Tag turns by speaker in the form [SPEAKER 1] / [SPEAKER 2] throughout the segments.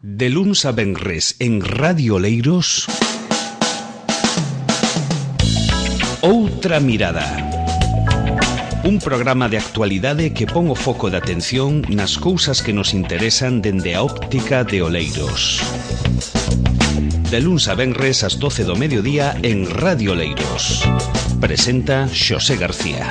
[SPEAKER 1] De luns a venres en Radio Oleiros, Outra Mirada. Un programa de actualidade que pon o foco de atención nas cousas que nos interesan dende a óptica de Oleiros. De luns a venres ás 12 do mediodía en Radio Oleiros. Presenta Xosé García.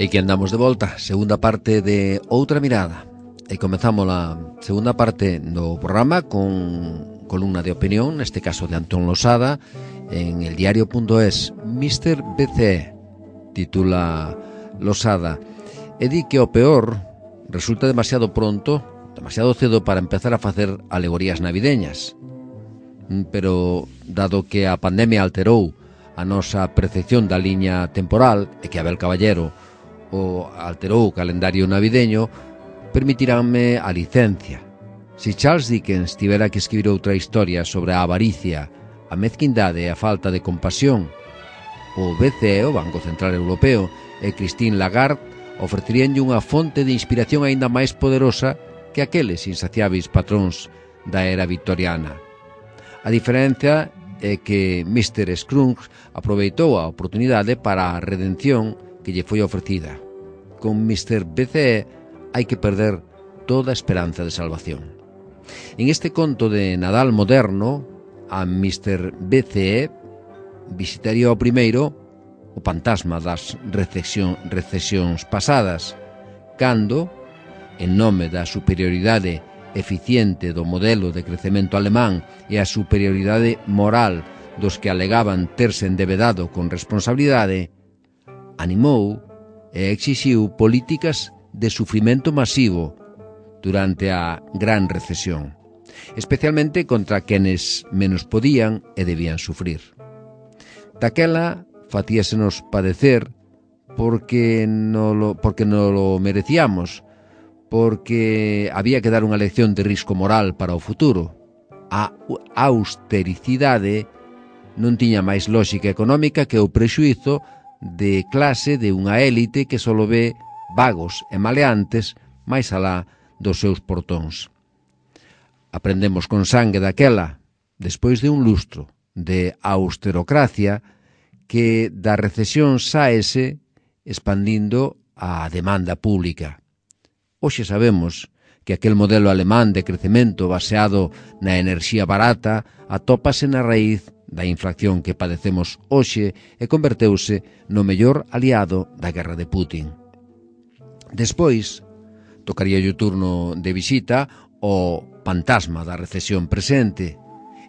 [SPEAKER 2] E que andamos de volta, segunda parte de Outra Mirada. E comezamos a segunda parte do programa con columna de opinión, neste caso de Antón Losada, en eldiario.es. Mr. BCE, titula Losada, e di que o peor resulta demasiado pronto, demasiado cedo para empezar a facer alegorías navideñas. Pero, dado que a pandemia alterou a nosa percepción da liña temporal e que Abel Caballero o alterou o calendario navideño, permitiránme a licencia. Se Charles Dickens tivera que escribir outra historia sobre a avaricia, a mezquindade e a falta de compasión, o BCE, o Banco Central Europeo, e Christine Lagarde ofreceríanlle unha fonte de inspiración aínda máis poderosa que aqueles insaciáveis patróns da era victoriana. A diferencia é que Mr. Scrooge aproveitou a oportunidade para a redención que lle foi ofrecida. Con Mr. BCE hai que perder toda a esperanza de salvación. En este conto de Nadal moderno, a Mr. BCE visitaría o primeiro o fantasma das recesións pasadas, cando, en nome da superioridade eficiente do modelo de crecemento alemán e a superioridade moral dos que alegaban terse endebedado con responsabilidade, animou e exixiu políticas de sufrimento masivo durante a gran recesión, especialmente contra quenes menos podían e debían sufrir. Daquela facíasenos padecer porque non lo merecíamos, porque había que dar unha lección de risco moral para o futuro. A austericidade non tiña máis lógica económica que o prexuízo de clase de unha élite que só ve vagos e maleantes máis alá dos seus portóns. Aprendemos con sangue daquela, despois de un lustro de austerocracia, que da recesión saese expandindo a demanda pública. Hoxe sabemos que aquel modelo alemán de crecemento baseado na enerxía barata atópase na raíz da inflación que padecemos hoxe e converteuse no mellor aliado da guerra de Putin. Despois, tocaría o turno de visita ao fantasma da recesión presente,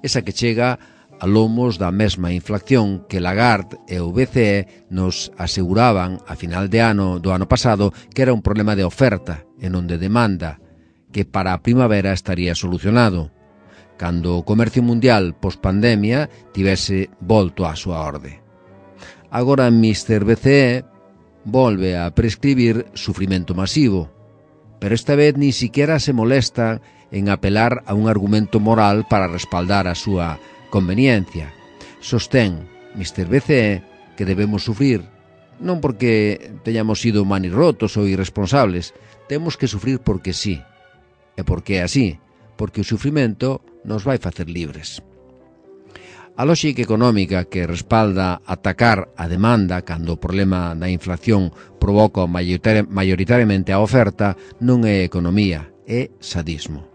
[SPEAKER 2] esa que chega a lomos da mesma inflación que Lagarde e o BCE nos aseguraban a final de ano do ano pasado que era un problema de oferta e non de demanda, que para a primavera estaría solucionado, cando o comercio mundial post-pandemia tivese volto á súa orde. Agora Mr. BCE volve a prescribir sufrimento masivo, pero esta vez ni siquiera se molesta en apelar a un argumento moral para respaldar a súa conveniencia. Sostén Mr. BCE que debemos sufrir non porque teñamos sido manirrotos ou irresponsables, temos que sufrir porque sí, e porque é así, porque o sufrimento nos vai facer libres. A lógica económica que respalda atacar a demanda cando o problema da inflación provoca maioritariamente a oferta non é economía, é sadismo.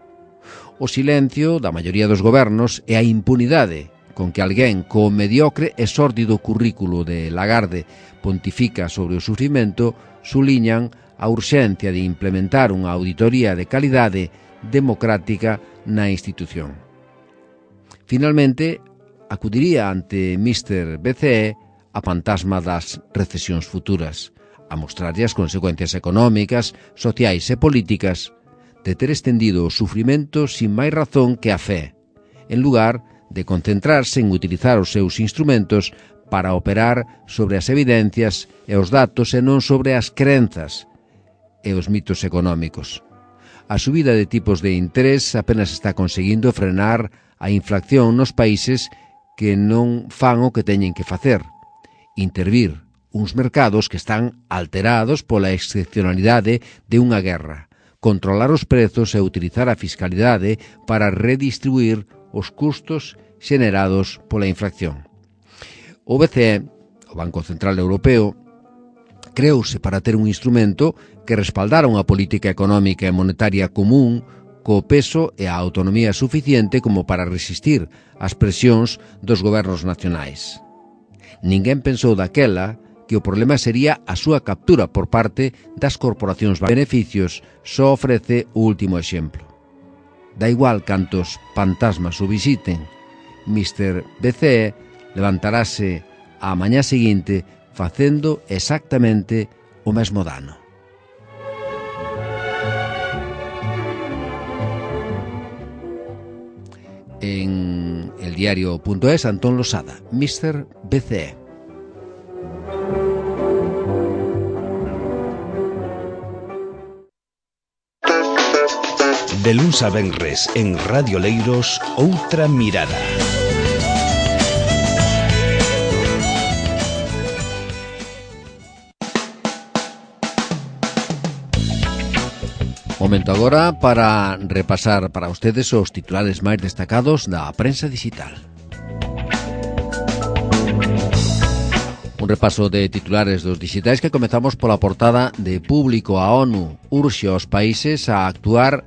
[SPEAKER 2] O silencio da maioría dos gobernos e a impunidade con que alguén co mediocre e sórdido currículo de Lagarde pontifica sobre o sufrimento suliñan a urxencia de implementar unha auditoría de calidade democrática na institución. Finalmente, acudiría ante Mr. BCE a fantasma das recesións futuras, a mostrarlle as consecuencias económicas, sociais e políticas de ter estendido o sufrimento sin máis razón que a fe, en lugar de concentrarse en utilizar os seus instrumentos para operar sobre as evidencias e os datos e non sobre as crenzas e os mitos económicos. A subida de tipos de interés apenas está conseguindo frenar a inflación nos países que non fan o que teñen que facer. Intervir uns mercados que están alterados pola excepcionalidade de unha guerra, controlar os prezos e utilizar a fiscalidade para redistribuir os custos xenerados pola inflación. O BCE, o Banco Central Europeo, creouse para ter un instrumento que respaldara unha política económica e monetaria común co peso e a autonomía suficiente como para resistir as presións dos gobernos nacionais. Ninguén pensou daquela que o problema sería a súa captura por parte das corporacións. Beneficios só ofrece o último exemplo. Da igual cantos fantasmas o visiten, Mr. BCE levantarase á mañá seguinte facendo exactamente o mesmo dano. En el diario.es, Antón Losada, Mr. BCE.
[SPEAKER 1] De luns a venres en Radio Leiros, Outra Mirada.
[SPEAKER 2] Momento agora para repasar para ustedes os titulares máis destacados da prensa digital. Un repaso de titulares dos digitais que comezamos pola portada de Público. A ONU urxe aos países a actuar.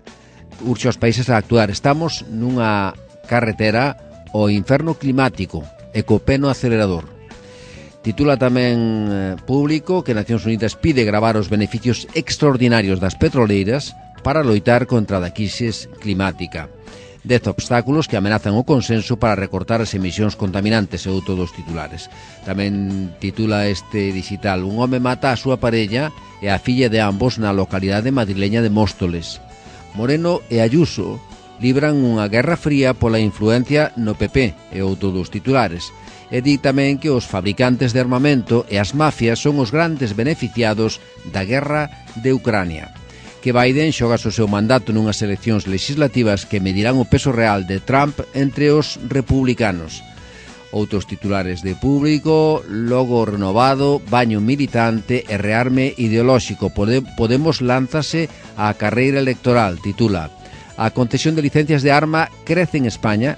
[SPEAKER 2] Estamos nunha carretera ao inferno climático e co pé no acelerador. Titula tamén Público que Nacións Unidas pide gravar os beneficios extraordinarios das petroleiras para loitar contra a crise climática. 10 obstáculos que amenazan o consenso para recortar as emisións contaminantes, é outro dos titulares. Tamén titula este digital: un home mata a súa parella e a filla de ambos na localidade madrileña de Móstoles. Moreno e Ayuso libran unha guerra fría pola influencia no PP, é outro dos titulares. E di tamén que os fabricantes de armamento e as mafias son os grandes beneficiados da guerra de Ucrania. Que Biden xogas o seu mandato nunhas eleccións legislativas que medirán o peso real de Trump entre os republicanos. Outros titulares de Público: logo renovado, baño militante e rearme ideolóxico. Podemos lánzase á carreira electoral, titula. A concesión de licencias de arma crece en España,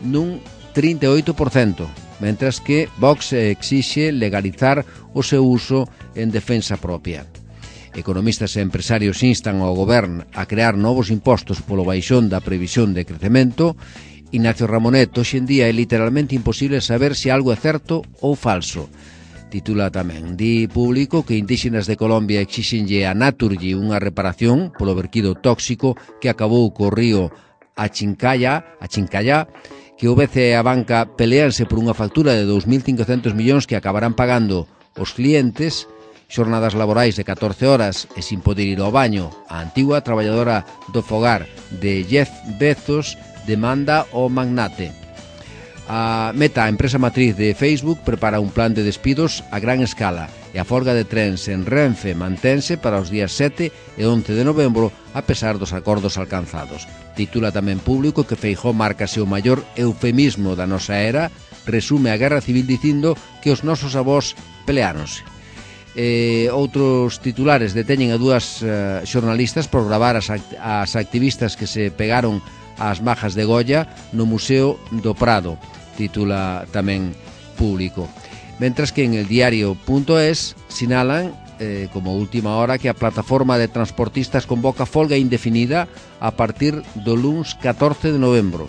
[SPEAKER 2] nun 38%, mentras que Vox exixe legalizar o seu uso en defensa propia. Economistas e empresarios instan ao goberno a crear novos impostos polo baixón da previsión de crecemento. Ignacio Ramonet: hoxe en día é literalmente imposible saber se algo é certo ou falso. Titula tamén. Di Público que indígenas de Colombia exixenlle a Naturgy unha reparación polo verquido tóxico que acabou co río Achincaya, que o BCE e a banca peleanse por unha factura de 2.500 millóns que acabarán pagando os clientes. Xornadas laborais de 14 horas e sin poder ir ao baño. A antigua traballadora do fogar de Jeff Bezos demanda o magnate. A Meta, a empresa matriz de Facebook, prepara un plan de despidos a gran escala e a folga de trens en Renfe mantense para os días 7 e 11 de novembro a pesar dos acordos alcanzados. Titula tamén Público que Feijóo márcase o maior eufemismo da nosa era, resume a guerra civil dicindo que os nosos avós peleáronse. Outros titulares: deteñen a dúas xornalistas por gravar as activistas que se pegaron ás majas de Goya no Museo do Prado, titula tamén Público. Mentras que en el diario.es sinalan como última hora que a plataforma de transportistas convoca folga indefinida a partir do luns 14 de novembro.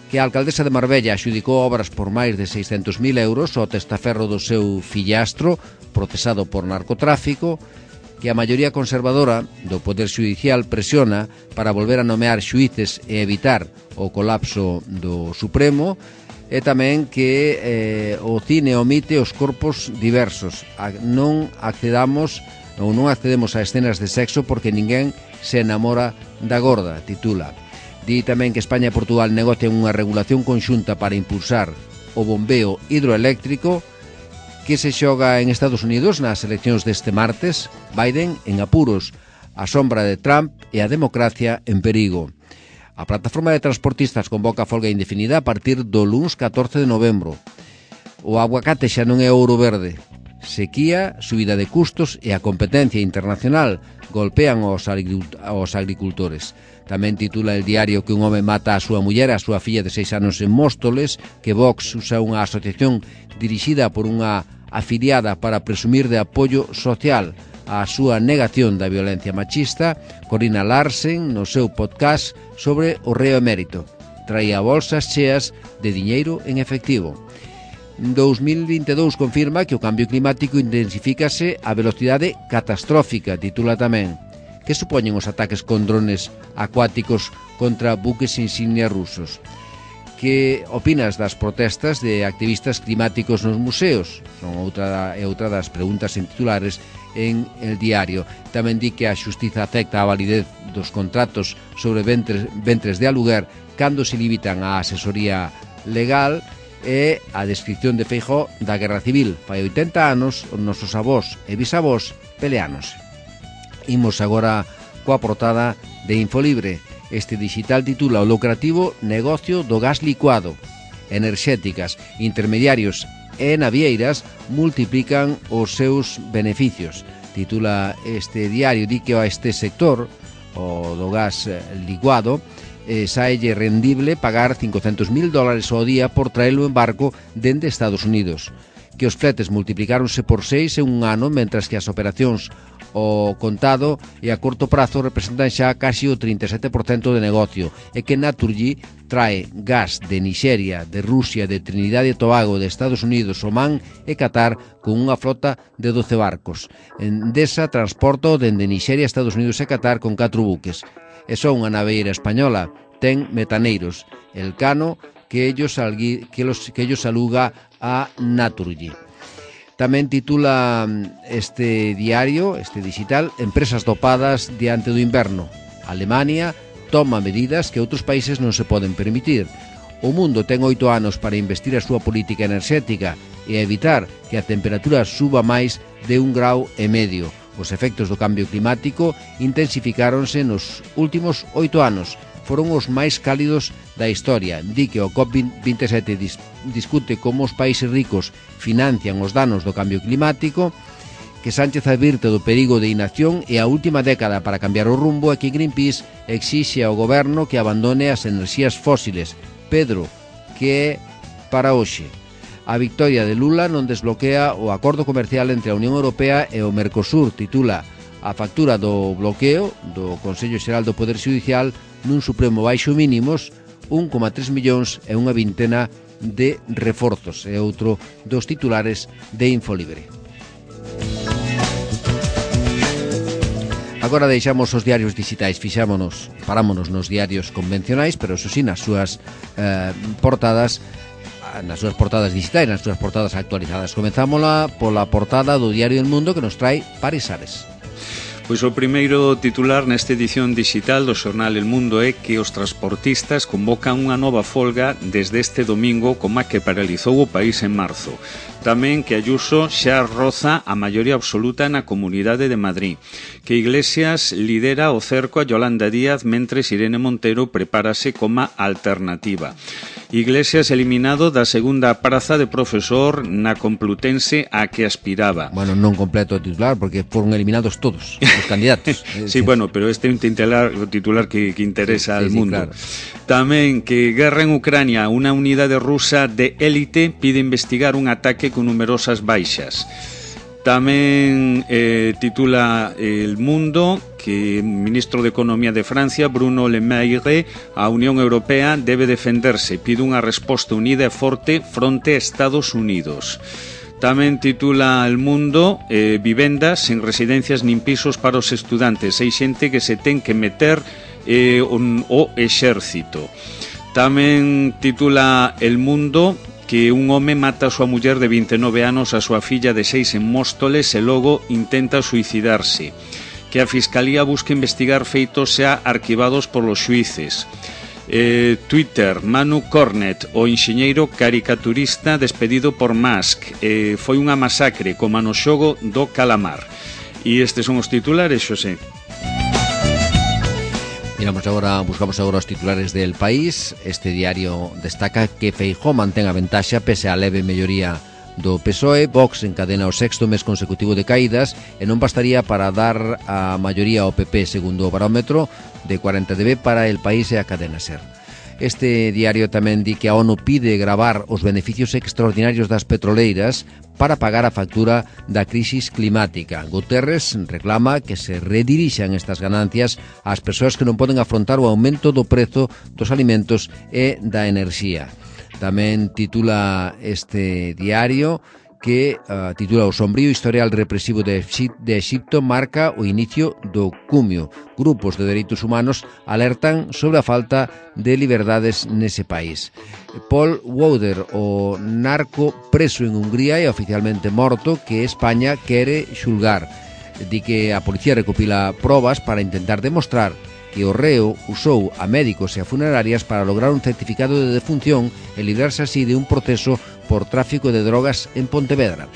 [SPEAKER 2] Que a alcaldesa de Marbella axudicou obras por máis de 600.000 euros ao testaferro do seu fillastro procesado por narcotráfico. Que a maioría conservadora do Poder Xudicial presiona para volver a nomear xuíces e evitar o colapso do Supremo. E tamén que o cine omite os corpos diversos. Non accedemos a escenas de sexo porque ninguén se enamora da gorda, titula. Di tamén que España e Portugal negocian unha regulación conxunta para impulsar o bombeo hidroeléctrico. Que se xoga en Estados Unidos nas eleccións deste martes. Biden en apuros, a sombra de Trump e a democracia en perigo. A plataforma de transportistas convoca a folga indefinida a partir do luns 14 de novembro. O aguacate xa non é ouro verde. Sequía, subida de custos e a competencia internacional golpean aos agricultores. Tamén titula el diario que un home mata a súa muller e a súa filla de 6 anos en Móstoles, que Vox usa unha asociación dirixida por unha afiliada para presumir de apoio social á súa negación da violencia machista. Corina Larsen, no seu podcast sobre o reo emérito, traía bolsas cheas de diñeiro en efectivo. 2022 confirma que o cambio climático intensifícase a velocidade catastrófica, titula tamén. Que supoñen os ataques con drones acuáticos contra buques insignia rusos? Que opinas das protestas de activistas climáticos nos museos? Son outra das preguntas en titulares en El Diario. Tamén di que a xustiza acepta a validez dos contratos sobre ventres de aluguer cando se limitan a asesoría legal, e a descripción de Feijóo da Guerra Civil. Fai 80 anos os nosos avós e bisavós peleános. Imos agora coa portada de Infolibre. Este digital titula o lucrativo negocio do gas licuado. Enerxéticas, intermediarios e navieiras multiplican os seus beneficios. Titula este diario, di que a este sector, o do gas licuado, saelle rendible pagar $500,000 ao día por traelo en barco dende Estados Unidos. Que os fletes multiplicáronse por 6 en un ano, mentras que as operacións o contado e a corto prazo representan xa casi o 37% de negocio, e que Naturgy trae gas de Nixeria, de Rusia, de Trinidad e Tobago, de Estados Unidos, Omán e Qatar con unha flota de 12 barcos. Endesa transporta dende Nixeria, Estados Unidos e Qatar con 4 buques. E só unha naveira española ten metaneiros, el Cano, que ellos aluga a Naturgy. Tamén titula este diario, este digital, empresas dopadas diante do inverno. Alemania toma medidas que outros países non se poden permitir. O mundo ten 8 anos para investir a súa política enerxética e evitar que a temperatura suba máis de 1,5 graus. Os efectos do cambio climático intensifícaronse nos últimos 8 anos. Foron os máis cálidos da historia. Di que o COP27 discute como os países ricos financian os danos do cambio climático, que Sánchez advirte do perigo de inacción e a última década para cambiar o rumbo, e que Greenpeace exixe ao goberno que abandone as enerxías fósiles. Pedro, que é para hoxe? A victoria de Lula non desbloquea o acordo comercial entre a Unión Europea e o Mercosur, titula a factura do bloqueo do Consello Xeral do Poder Xudicial nun supremo baixo mínimos, 1,3 millóns e unha vintena de reforzos. É outro dos titulares de Infolibre. Agora deixamos os diarios digitais, parámonos nos diarios convencionais, pero eso sí, nas súas portadas digitais, nas súas portadas actualizadas. Comenzámola pola portada do Diario El Mundo, que nos trae Paris Ares.
[SPEAKER 3] Pois o primeiro titular nesta edición digital do xornal El Mundo é que os transportistas convocan unha nova folga desde este domingo, como a que paralizou o país en marzo. Tamén que Ayuso xa roza a maioría absoluta na Comunidade de Madrid. Que Iglesias lidera o cerco a Yolanda Díaz mentres Irene Montero prepárase como alternativa. Iglesias eliminado da segunda praza de profesor na Complutense a que aspiraba.
[SPEAKER 2] Bueno, non completo o titular, porque foron eliminados todos os candidatos.
[SPEAKER 3] Sí, bueno, pero este é un titular que interesa al mundo.
[SPEAKER 2] Claro.
[SPEAKER 3] Tamén que guerra en Ucrania, unha unidade rusa de élite pide investigar un ataque con numerosas baixas. Tamén titula El Mundo que o ministro de Economía de Francia, Bruno Le Maire, a Unión Europea debe defenderse, pide unha resposta unida e forte fronte a Estados Unidos. Tamén titula El Mundo vivendas sen residencias nin pisos para os estudantes. Hai xente que se ten que meter o exército. Tamén titula El Mundo que un home mata a súa muller de 29 anos, a súa filla de 6 en Móstoles e logo intenta suicidarse. Que a Fiscalía busca investigar feitos xa arquivados polos xuíces. Twitter, Manu Cornet, o enxeñeiro caricaturista despedido por Musk. Foi unha masacre como no xogo do calamar. E estes son os titulares, Xosé.
[SPEAKER 2] Mira, Buscamos agora os titulares del País. Este diario destaca que Feijóo mantén a ventaxa pese á leve melloría do PSOE. Vox encadena o 6º mes consecutivo de caídas e non bastaría para dar a maioría ao PP, segundo o barómetro de 40 dB para El País e a cadena SER. Este diario tamén di que a ONU pide gravar os beneficios extraordinarios das petroleiras para pagar a factura da crisis climática. Guterres reclama que se redirixan estas ganancias ás persoas que non poden afrontar o aumento do prezo dos alimentos e da enerxía. Tamén titula este diario que titula o sombrío historial represivo de Exipto marca o inicio do cumio. Grupos de dereitos humanos alertan sobre a falta de liberdades nese país. Paul Wauder, o narco preso en Hungría e oficialmente morto, que España quere xulgar. Di que a policía recopila probas para intentar demostrar que o reo usou a médicos e a funerarias para lograr un certificado de defunción e librarse así de un proceso por tráfico de drogas en Pontevedra.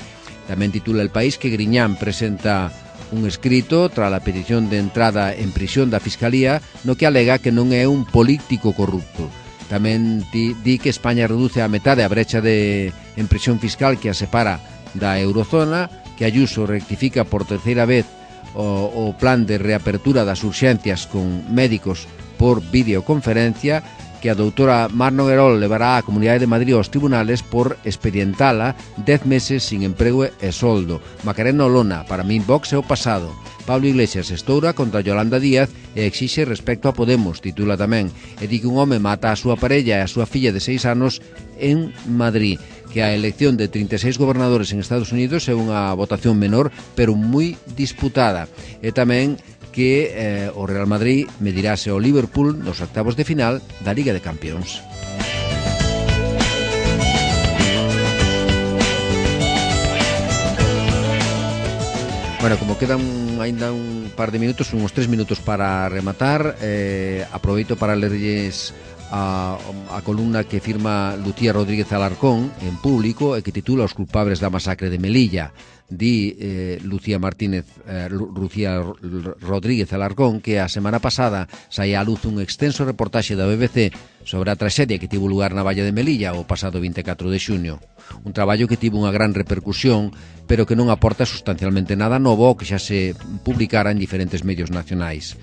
[SPEAKER 2] Tamén titula El País que Griñán presenta un escrito tras a petición de entrada en prisión da Fiscalía no que alega que non é un político corrupto. Tamén di que España reduce a metade a brecha en prisión fiscal que a separa da eurozona, que Ayuso rectifica por terceira vez o plan de reapertura das urxencias con médicos por videoconferencia, que a doutora Mar Noguerol levará a Comunidade de Madrid aos tribunales por expedientala 10 meses sin emprego e soldo. Macarena Olona, para min Vox é o pasado. Pablo Iglesias estoura contra Yolanda Díaz e exixe respecto a Podemos, titula tamén, e di que un home mata a súa parella e a súa filla de 6 anos en Madrid, que a elección de 36 gobernadores en Estados Unidos é unha votación menor, pero moi disputada. E tamén que o Real Madrid medirase ao Liverpool nos octavos de final da Liga de Campións. Bueno, como quedan ainda un par de minutos, uns 3 minutos para rematar, aproveito para lerlles a columna que firma Lucía Rodríguez Alarcón en Público e que titula Os culpables da masacre de Melilla. Di Lucía Rodríguez Alarcón que a semana pasada saía á luz un extenso reportaxe da BBC sobre a traxedia que tivo lugar na valla de Melilla o pasado 24 de xuño. Un traballo que tivo unha gran repercusión, pero que non aporta sustancialmente nada novo ao que xa se publicara en diferentes medios nacionais.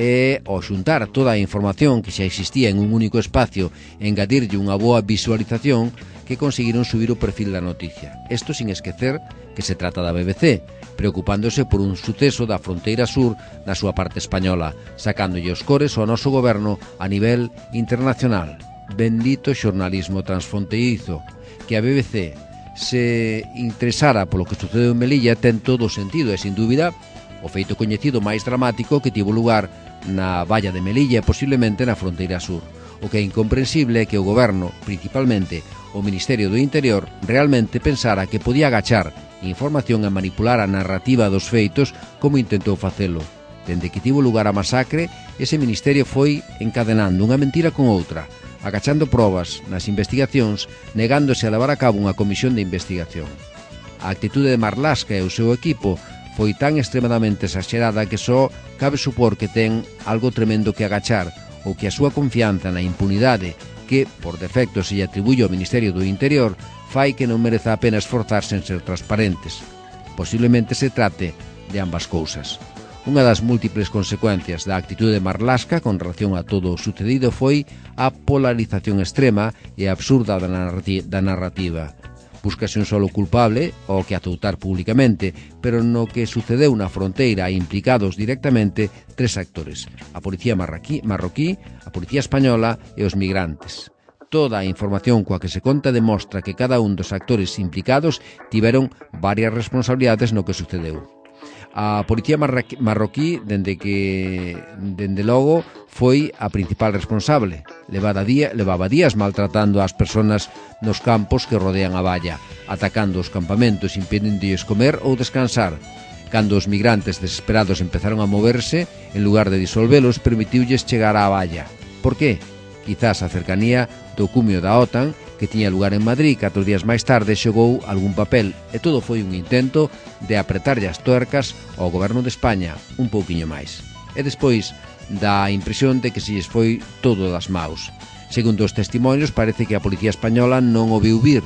[SPEAKER 2] E ao xuntar toda a información que xa existía en un único espacio e engadirlle unha boa visualización, que conseguiron subir o perfil da noticia. Isto sin esquecer que se trata da BBC, preocupándose por un suceso da fronteira sur na súa parte española, sacándolle os cores ao noso goberno a nivel internacional. Bendito xornalismo transfronteirizo. Que a BBC se interesara polo que sucedeu en Melilla ten todo o sentido e, sin dúbida, o feito coñecido máis dramático que tivo lugar na valla de Melilla e posiblemente na fronteira sur. O que é incomprensible é que o goberno, principalmente o Ministerio do Interior, realmente pensara que podía agachar información e manipular a narrativa dos feitos como intentou facelo. Dende que tivo lugar a masacre, ese Ministerio foi encadenando unha mentira con outra, agachando probas nas investigacións, negándose a levar a cabo unha comisión de investigación. A actitude de Marlaska e o seu equipo foi tan extremadamente exagerada que só cabe supor que ten algo tremendo que agachar ou que a súa confianza na impunidade que, por defecto, se lle atribuye ao Ministerio do Interior fai que non mereza a pena esforzarse en ser transparentes. Posiblemente se trate de ambas cousas. Unha das múltiples consecuencias da actitude de Marlaska con relación a todo o sucedido foi a polarización extrema e absurda da narrativa. Búscase un solo culpable, ao que azoutar públicamente, pero no que sucedeu na fronteira implicados directamente 3 actores: a policía marroquí, a policía española e os migrantes. Toda a información coa que se conta demostra que cada un dos actores implicados tiveron varias responsabilidades no que sucedeu. A policía marroquí, dende logo, foi a principal responsable. Levaba días maltratando ás persoas nos campos que rodean a valla, atacando os campamentos, impedindo-lles comer ou descansar. Cando os migrantes desesperados empezaron a moverse, en lugar de disolvelos, permitiulles chegar á valla. Por qué? Quizás a cercanía do cumio da OTAN, que tiña lugar en Madrid 4 días máis tarde, xogou algún papel, e todo foi un intento de apretarlle as tuercas ao goberno de España un pouquiño máis. E despois dá a impresión de que se lles foi todo das maus. Segundo os testimonios, parece que a Policía Española non o viu vir.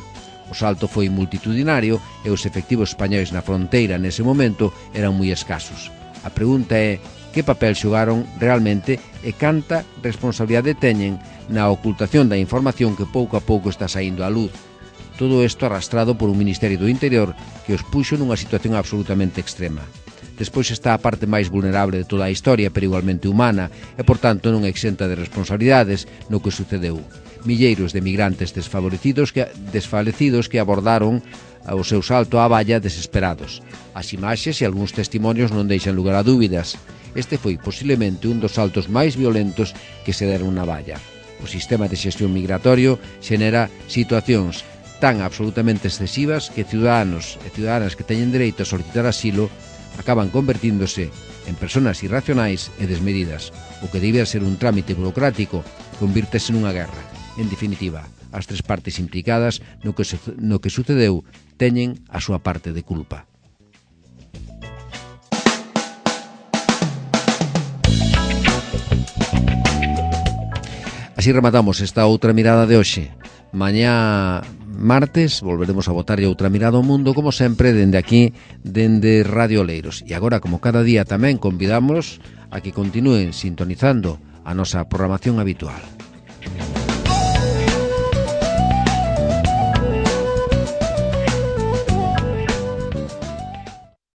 [SPEAKER 2] O salto foi multitudinario e os efectivos españois na fronteira nese momento eran moi escasos. A pregunta é que papel xogaron realmente e canta responsabilidade teñen na ocultación da información que pouco a pouco está saindo á luz. Todo isto arrastrado por un Ministerio do Interior que os puxo nunha situación absolutamente extrema. Despois está a parte máis vulnerable de toda a historia, pero igualmente humana, e, por tanto, non exenta de responsabilidades no que sucedeu. Milleiros de migrantes desfalecidos que abordaron o seu salto á valla desesperados. As imaxes e algúns testimonios non deixan lugar a dúbidas. Este foi posiblemente un dos saltos máis violentos que se deron na valla. O sistema de xestión migratorio xenera situacións tan absolutamente excesivas que ciudadanos e ciudadanas que teñen dereito a solicitar asilo acaban convertíndose en persoas irracionais e desmedidas. O que debía ser un trámite burocrático convírtese nunha guerra. En definitiva, as tres partes implicadas no que sucedeu teñen a súa parte de culpa. Así rematamos esta outra mirada de hoxe. Mañá martes volveremos a botarlle outra mirada ao mundo, como sempre, dende aquí, dende Radio Oleiros. E agora, como cada día, tamén convidamos a que continúen sintonizando a nosa programación habitual.